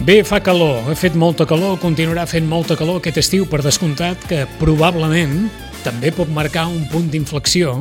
Bé, fa calor, ha fet molta calor, continuarà fent molta calor aquest estiu, per descomptat, que probablement també pot marcar un punt d'inflexió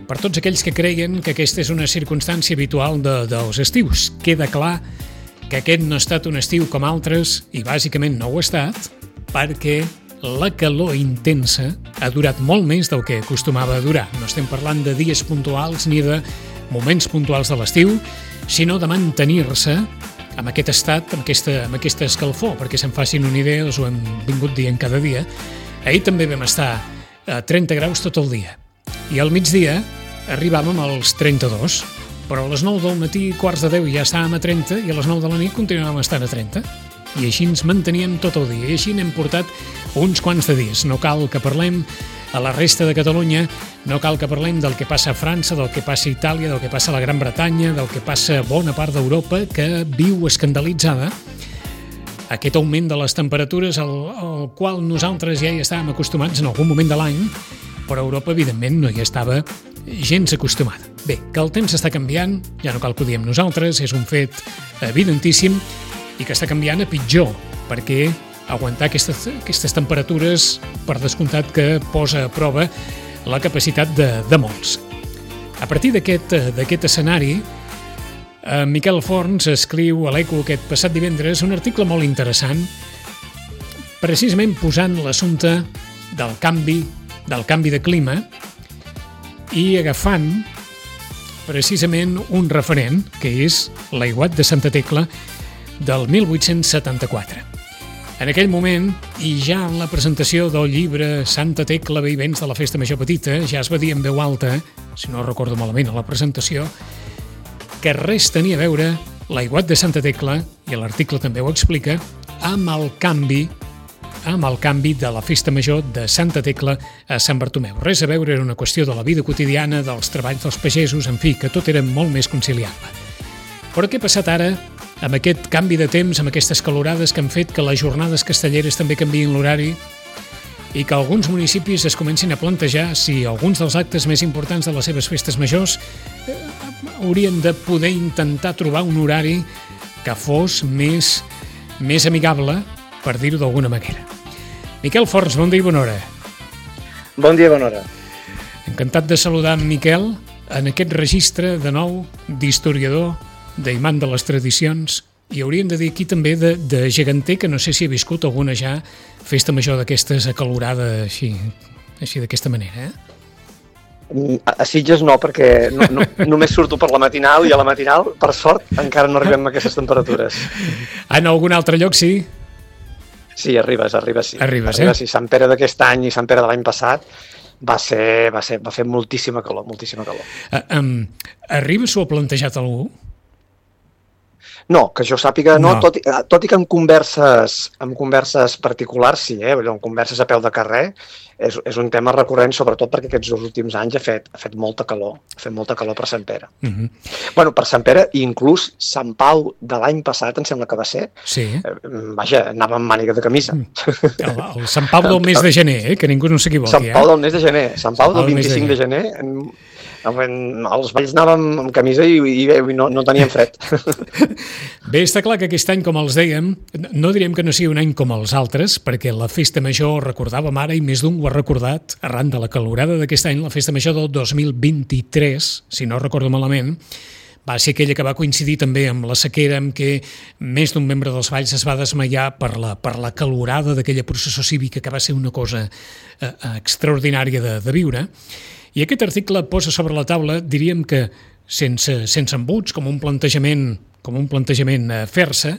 per tots aquells que creien que aquesta és una circumstància habitual dels estius. Queda clar que aquest no ha estat un estiu com altres, i bàsicament no ho ha estat, perquè la calor intensa ha durat molt més del que acostumava a durar. No estem parlant de dies puntuals ni de moments puntuals de l'estiu, sinó de mantenir-se amb aquest estat, amb aquesta escalfor, perquè se'n facin una idea, us ho hem vingut dient cada dia. Ahir també vam estar a 30 graus tot el dia, i al migdia arribàvem als 32, però a les 9 del matí, quarts de 10, ja estàvem a 30, i a les 9 de la nit continuàvem estant a 30. I així ens manteníem tot el dia, i així n'hem portat uns quants de dies. No cal que parlem a la resta de Catalunya, no cal que parlem del que passa a França, del que passa a Itàlia, del que passa a la Gran Bretanya, del que passa a bona part d'Europa, que viu escandalitzada aquest augment de les temperatures al qual nosaltres ja hi estàvem acostumats en algun moment de l'any, però Europa, evidentment, no hi estava gens acostumada. Bé, que el temps està canviant, ja no cal que ho diem nosaltres, és un fet evidentíssim, i que està canviant a pitjor, perquè aguantar aquestes temperatures, per descomptat que posa a prova la capacitat de molts. A partir d'aquest escenari, Miquel Forns escriu a l'Eco aquest passat divendres un article molt interessant, precisament posant l'assumpte del canvi de clima i agafant precisament un referent, que és l'aiguat de Santa Tecla del 1874. En aquell moment, i ja en la presentació del llibre Santa Tecla, Ve i Vents de la Festa Major Petita, ja es va dir en veu alta, si no recordo malament a la presentació, que res tenia a veure l'aiguat de Santa Tecla, i l'article també ho explica, amb el canvi de la Festa Major de Santa Tecla a Sant Bartomeu. Res a veure, era una qüestió de la vida quotidiana, dels treballs dels pagesos, en fi, que tot era molt més conciliable. Però què ha passat ara amb aquest canvi de temps, amb aquestes calorades que han fet que les jornades castelleres també canviïn l'horari i que alguns municipis es comencin a plantejar si alguns dels actes més importants de les seves festes majors haurien de poder intentar trobar un horari que fos més amigable, per dir-ho d'alguna manera. Miquel Forns, bon dia i bona hora. Bon dia i bona hora. Encantat de saludar en Miquel en aquest registre, de nou, d'historiador, d'imant de les tradicions, i hauríem de dir aquí també de geganter, que no sé si ha viscut alguna ja festa major d'aquestes acalorada així d'aquesta manera, A Sitges no, perquè només surto per la matinal, i a la matinal, per sort, encara no arribem a aquestes temperatures. En algun altre lloc sí? Sí, arribes, sí. Arribes, sí. Sant Pere d'aquest any i Sant Pere de l'any passat va fer moltíssima calor. Arribes o ha plantejat algú? No, que jo sàpiga no. Tot i que en converses particulars sí, en converses a peu de carrer, és un tema recurrent, sobretot perquè aquests últims anys ha fet molta calor, per Sant Pere. Bueno, per Sant Pere, i inclús Sant Pau de l'any passat, em sembla que va ser, sí. Vaja, anava amb màniga de camisa. El Sant Pau del mes de gener, que ningú no s'equivoqui. Sant Pau del mes de gener, Sant Pau del 25 de gener, els balls anàvem amb camisa i no teníem fred. Bé, està clar que aquest any, com els dèiem, no direm que no sigui un any com els altres, perquè la festa major, recordàvem ara, i més d'un ho ha recordat, arran de la calorada d'aquest any, la festa major del 2023, si no recordo malament, va ser aquella que va coincidir també amb la sequera, amb què més d'un membre dels balls es va desmaiar per la calorada d'aquella processó cívica, que va ser una cosa extraordinària de viure. I aquest article posa sobre la taula, diríem que sense embuts, com un plantejament a fer-se,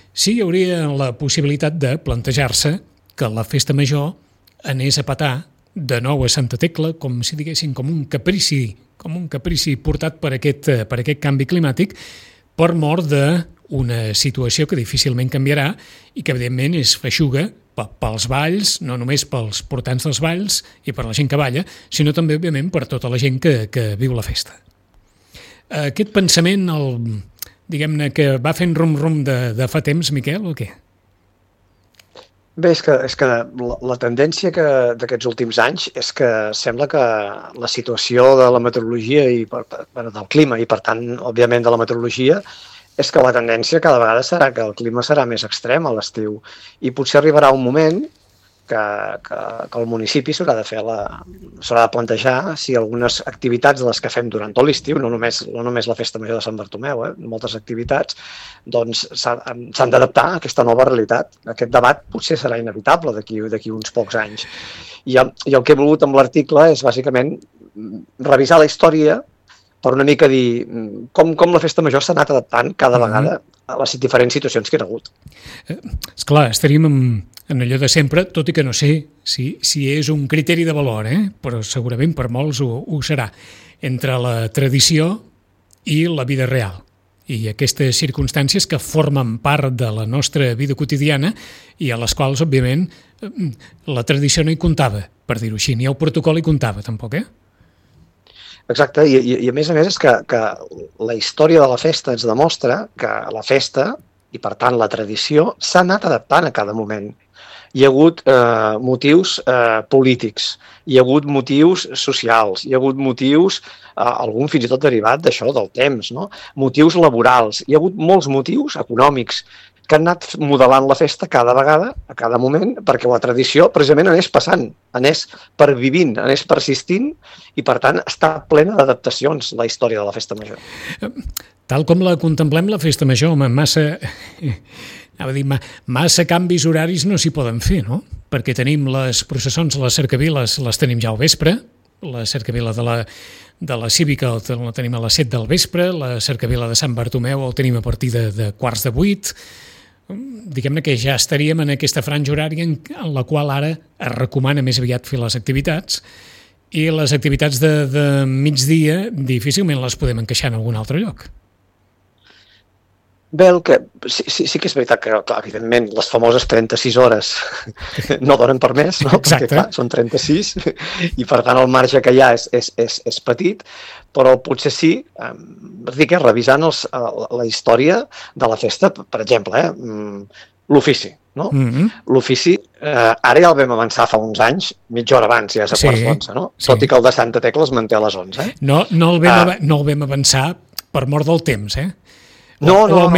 sí hi hauria la possibilitat de plantejar-se que la festa major anés a petar de nou a Santa Tecla, com si diguéssim, com un caprici portat per aquest canvi climàtic, per mort d'una situació que difícilment canviarà i que evidentment és feixuga pels balls, no només pels portants dels balls i per la gent que balla, sinó també, òbviament, per tota la gent que viu la festa. Aquest pensament, diguem-ne, que va fent rum-rum de fa temps, Miquel, o què? Bé, és que la tendència d'aquests últims anys és que sembla que la situació de la meteorologia i del clima, i per tant, òbviament, de la meteorologia, és que la tendència cada vegada serà que el clima serà més extrem a l'estiu i potser arribarà un moment que el municipi s'haurà de plantejar si algunes activitats de les que fem durant tot l'estiu, no només la Festa Major de Sant Bartomeu, moltes activitats, doncs s'han d'adaptar a aquesta nova realitat. Aquest debat potser serà inevitable d'aquí uns pocs anys. I el que he volgut amb l'article és bàsicament revisar la història per una mica dir com la Festa Major s'ha anat adaptant cada vegada a les diferents situacions que hi ha hagut. Esclar, estaríem en allò de sempre, tot i que no sé si és un criteri de valor, però segurament per molts ho serà, entre la tradició i la vida real. I aquestes circumstàncies que formen part de la nostra vida quotidiana i a les quals, òbviament, la tradició no hi comptava, per dir-ho així, ni el protocol hi comptava, tampoc, Exacte, i a més és que la història de la festa ens demostra que la festa, i per tant la tradició, s'ha anat adaptant a cada moment. Hi ha hagut motius polítics, hi ha hagut motius socials, hi ha hagut motius, algun fins i tot derivat d'això, del temps, no? Motius laborals, hi ha hagut molts motius econòmics que han anat modelant la festa cada vegada, a cada moment, perquè la tradició precisament anés passant, anés pervivint, anés persistint i, per tant, està plena d'adaptacions la història de la Festa Major. Tal com la contemplem, la Festa Major, massa canvis horaris no s'hi poden fer, no? Perquè tenim les processons, les cercaviles, les tenim ja al vespre, la cercavila de la Cívica la tenim a les 7 del vespre, la cercavila de Sant Bartomeu el tenim a partir de 7:15, diguem-ne que ja estaríem en aquesta franja horària en la qual ara es recomana més aviat fer les activitats i les activitats de migdia difícilment les podem encaixar en algun altre lloc. Bé, sí que és veritat que, clar, evidentment, les famoses 36 hores no donen per més, no? Perquè, clar, són 36 i, per tant, el marge que hi ha és petit, però potser sí, revisant la història de la festa, per exemple, l'ofici, no? L'ofici, ara ja el vam avançar fa uns anys, mitja hora abans, ja és a quarts d'11, no? Sí. Tot i que el de Santa Tecla es manté a les 11. No el vam avançar per mort del temps, No el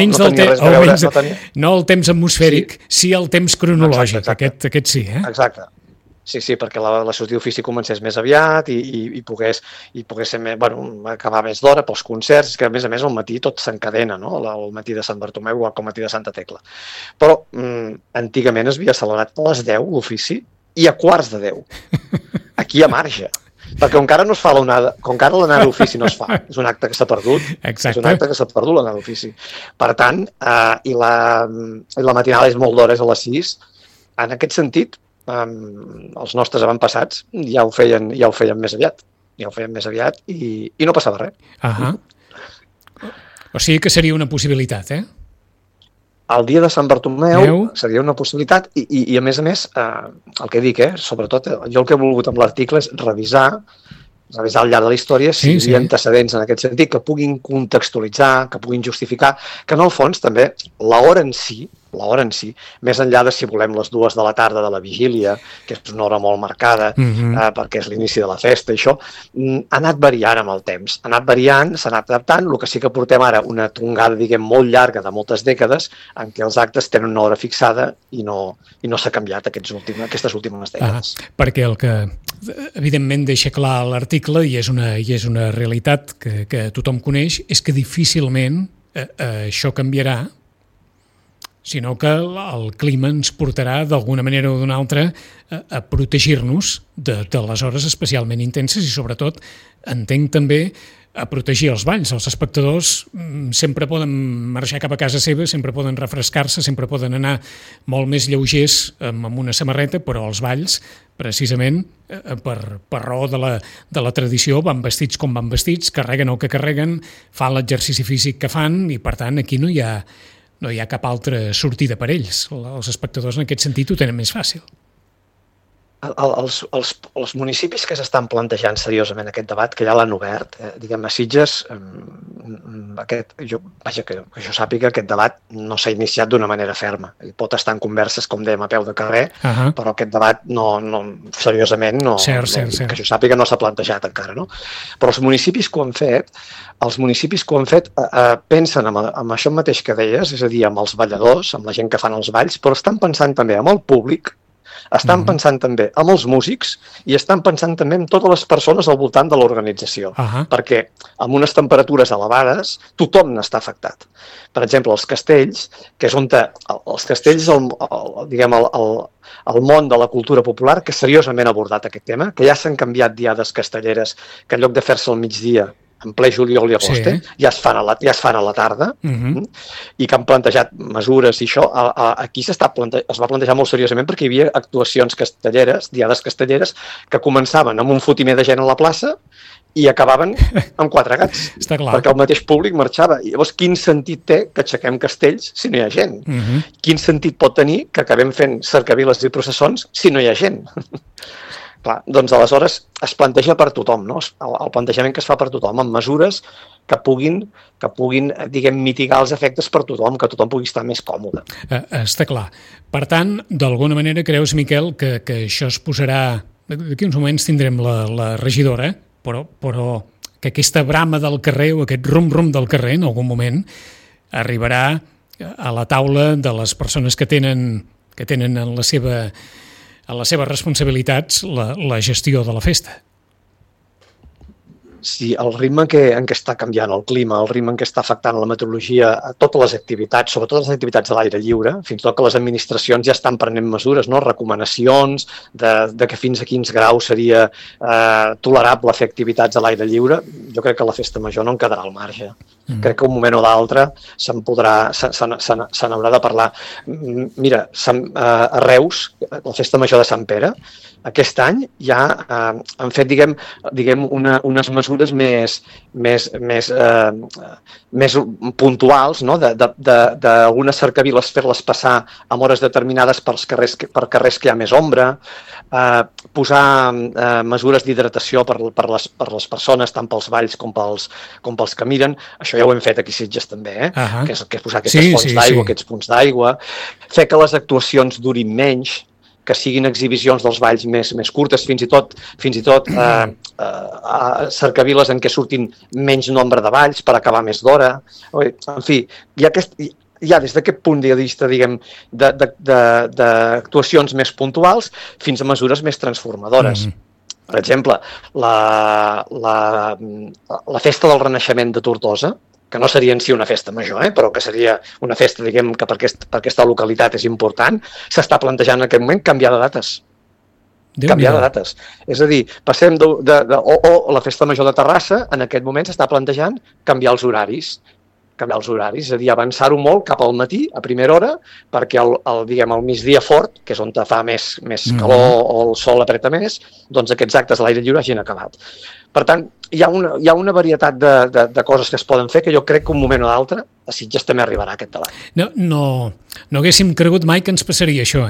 temps atmosfèric, sí el temps cronològic, exacte. Aquest sí, Exacte. Sí, perquè la sortida d'ofici comencés més aviat i pogués ser acabar més d'hora pels concerts, que a més al matí tot s'encadena, no? El matí de Sant Bartomeu igual que el matí de Santa Tecla. Però antigament es havia celebrat a les 10 l'ofici i a quarts de 10. Aquí hi ha marge. Perquè encara no es fa l'onada, com encara l'anada d'ofici no es fa, és un acte que s'ha perdut. Exacte. És un acte que s'ha perdut l'anada d'ofici. Per tant, i la matinada és molt d'hores a les 6, en aquest sentit, els nostres avantpassats ja ho feien més aviat. Ja ho feien més aviat i no passava res. O sigui que seria una possibilitat, El dia de Sant Bartomeu seria una possibilitat i a més, el que dic, sobretot, jo el que he volgut amb l'article és revisar al llarg de la història si hi ha antecedents en aquest sentit que puguin contextualitzar, que puguin justificar, que en el fons també l'hora en si, més enllà de si volem les 2 de la tarda de la vigília, que és una hora molt marcada, perquè és l'inici de la festa, i això, ha anat variant amb el temps. Ha anat variant, s'ha anat adaptant, el que sí que portem ara una tongada, molt llarga de moltes dècades, en què els actes tenen una hora fixada i no s'ha canviat aquestes últimes dècades. Perquè el que, evidentment, deixa clar l'article, i és una realitat que tothom coneix, és que difícilment això canviarà, sinó que el clima ens portarà d'alguna manera o d'una altra a protegir-nos de les hores especialment intenses i sobretot entenc també a protegir els balls. Els espectadors sempre poden marxar cap a casa seva, sempre poden refrescar-se, sempre poden anar molt més lleugers amb una samarreta, però els balls, precisament per raó de la tradició, van vestits com van vestits, carreguen el que carreguen, fan l'exercici físic que fan i per tant aquí no hi ha cap altra sortida per ells. Els espectadors en aquest sentit ho tenen més fàcil. Els municipis que s'estan plantejant seriosament aquest debat, que ja l'han obert, diguem-ne, Sitges, que jo sàpiga, aquest debat no s'ha iniciat d'una manera ferma. Pot estar en converses, com dèiem, a peu de carrer, però aquest debat seriosament, que jo sàpiga, no s'ha plantejat encara, no? Però els municipis que ho han fet, pensen en això mateix que deies, és a dir, amb els balladors, amb la gent que fan els balls, però estan pensant també amb el públic, estan pensant també amb els músics i estan pensant també en totes les persones al voltant de l'organització, perquè amb unes temperatures elevades tothom n'està afectat. Per exemple, els castells, que és on els castells, diguem, el món de la cultura popular, que seriosament ha abordat aquest tema, que ja s'han canviat diades castelleres, que en lloc de fer-se al migdia, en ple juliol i agost, ja es fan a la tarda, i que han plantejat mesures i això. Aquí es va plantejar molt seriosament perquè hi havia actuacions castelleres, diades castelleres, que començaven amb un fotimer de gent a la plaça i acabaven amb 4 gats, perquè el mateix públic marxava. I llavors, quin sentit té que aixequem castells si no hi ha gent? Quin sentit pot tenir que acabem fent cercaviles i processons si no hi ha gent? Clar, doncs aleshores es planteja per tothom, no? El plantejament que es fa per tothom, amb mesures que puguin, diguem, mitigar els efectes per tothom, que tothom pugui estar més còmode. Està clar. Per tant, d'alguna manera creus, Miquel, que això es posarà... D'aquí uns moments tindrem la regidora, però que aquesta brama del carrer o aquest rum-rum del carrer en algun moment arribarà a la taula de les persones que tenen en les seves responsabilitats la gestió de la festa. Sí, el ritme en què està canviant el clima, el ritme en què està afectant la meteorologia, a totes les activitats, sobretot les activitats de l'aire lliure, fins i tot que les administracions ja estan prenent mesures, no? Recomanacions de que fins a quins graus seria tolerable fer activitats a l'aire lliure. Jo crec que la festa major no en quedarà al marge. Crec que un moment o d'altre se n'haurà de parlar. Mira, a Reus, la festa major de Sant Pere, aquest any ja han fet, diguem unes mesures més puntuals, no? D'algunes cercaviles fer-les passar en hores determinades per carrers que hi ha més ombra, posar mesures d'hidratació per les persones, tant pels balls com pels que miren. Això ja ho hem fet aquí a Sitges també, que és posar aquestes fonts d'aigua, aquests punts d'aigua, fer que les actuacions durin menys, que siguin exhibicions dels balls més curtes, fins i tot cercaviles en què surtin menys nombre de balls per acabar més d'hora. En fi, ja des d'aquest punt de vista, diguem, d'actuacions més puntuals fins a mesures més transformadores. Per exemple, la festa del Renaixement de Tortosa, que no seria en si una festa major, però que seria una festa, diguem, que per aquesta localitat és important, s'està plantejant en aquest moment canviar de dates. Canviar de dates. És a dir, passem o la festa major de Terrassa, en aquest moment s'està plantejant canviar els horaris. És a dir, avançar-ho molt cap al matí, a primera hora, perquè el migdia fort, que és on fa més calor o el sol apreta més, doncs aquests actes a l'aire lliure hagin acabat. Per tant, hi ha una varietat de coses que es poden fer que jo crec que un moment o d'altre a Sitges també arribarà aquest debat. No haguéssim cregut mai que ens passaria això,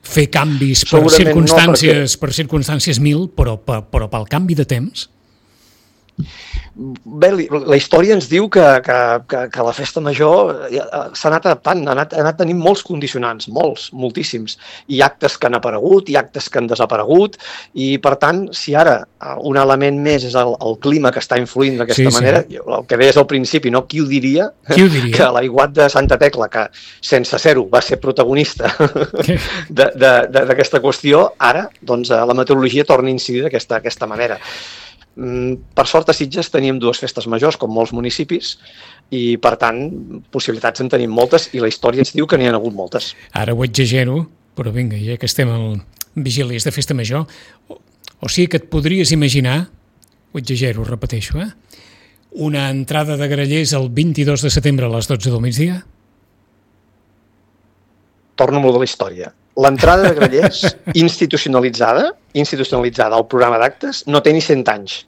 fer canvis per circumstàncies mil, però pel canvi de temps. Bé, la història ens diu que la festa major s'ha anat adaptant, ha anat tenint molts condicionants, moltíssims, i actes que han aparegut i actes que han desaparegut, i per tant, si ara un element més és el clima que està influint d'aquesta manera, el que deies al principi, no? Qui ho diria? Que l'aiguat de Santa Tecla, que sense ser-ho va ser protagonista d'aquesta qüestió, ara la meteorologia torna a incidir d'aquesta manera. Per sort a Sitges teníem 2 festes majors, com molts municipis, i per tant possibilitats en tenim moltes i la història ens diu que n'hi ha hagut moltes. Ara ho exagero, però vinga, ja que estem al vigílies de festa major, o sigui que et podries imaginar, ho exagero, repeteixo, una entrada de grallers el 22 de setembre a les 12 del migdia? Torno molt de la història. L'entrada de grallers institucionalitzada al programa d'actes no té ni 100 anys.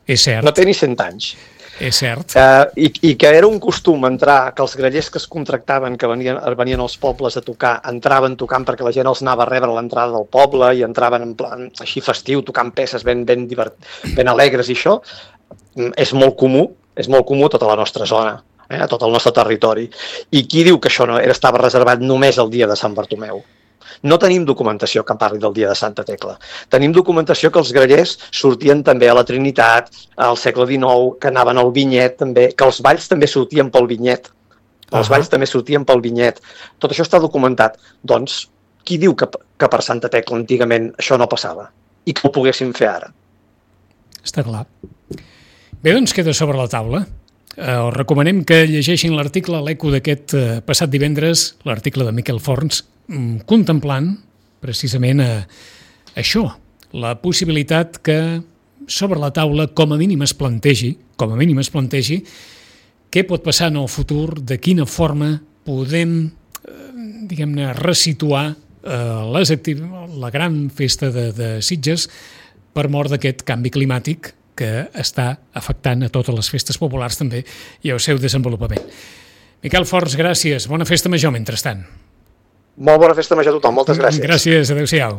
És cert. No té ni 100 anys. És cert. I que era un costum entrar, que els grallers que es contractaven, que venien als pobles a tocar, entraven tocant perquè la gent els anava a rebre a l'entrada del poble i entraven en plan així festiu, tocant peces ben alegres i això, és molt comú a tota la nostra zona, a tot el nostre territori. I qui diu que això estava reservat només el dia de Sant Bartomeu? No tenim documentació que parli del dia de Santa Tecla. Tenim documentació que els grallers sortien també a la Trinitat, al segle XIX, que anaven al Vinyet també, que els balls també sortien pel Vinyet. Tot això està documentat. Doncs, qui diu que per Santa Tecla antigament això no passava? I que ho poguéssim fer ara? Està clar. Bé, doncs queda sobre la taula. Us recomanem que llegeixin l'article a l'Eco d'aquest passat divendres, l'article de Miquel Forns, contemplant precisament això, la possibilitat que sobre la taula com a mínim es plantegi què pot passar en el futur, de quina forma podem, diguem-ne, resituar la gran festa de Sitges per mort d'aquest canvi climàtic que està afectant a totes les festes populars també i al seu desenvolupament. Miquel Forns, gràcies. Bona festa major, mentrestant. Molt bona festa major a tothom. Moltes gràcies. Gràcies. Adéu-siau.